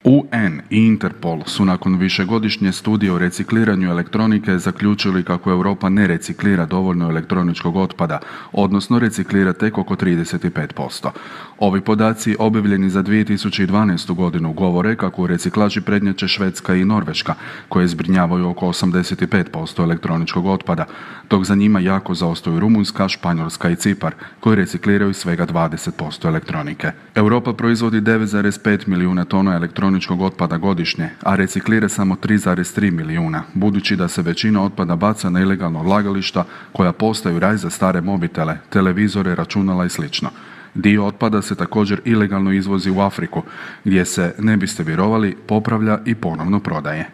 UN i Interpol su nakon višegodišnje studije o recikliranju elektronike zaključili kako Europa ne reciklira dovoljno elektroničkog otpada, odnosno reciklira tek oko 35%. Ovi podaci objavljeni za 2012. godinu govore kako u reciklaži prednjače Švedska i Norveška, koje zbrinjavaju oko 85% elektroničkog otpada, dok za njima jako zaostaju Rumunjska, Španjolska i Cipar, koji recikliraju svega 20% elektronike. Europa proizvodi 9,5 milijuna tona elektroničkog otpada godišnje, a reciklira samo 3,3 milijuna, budući da se većina otpada baca na ilegalna odlagališta koja postaju raj za stare mobitele, televizore, računala i sl. Dio otpada se također ilegalno izvozi u Afriku, gdje se, ne biste vjerovali, popravlja i ponovno prodaje.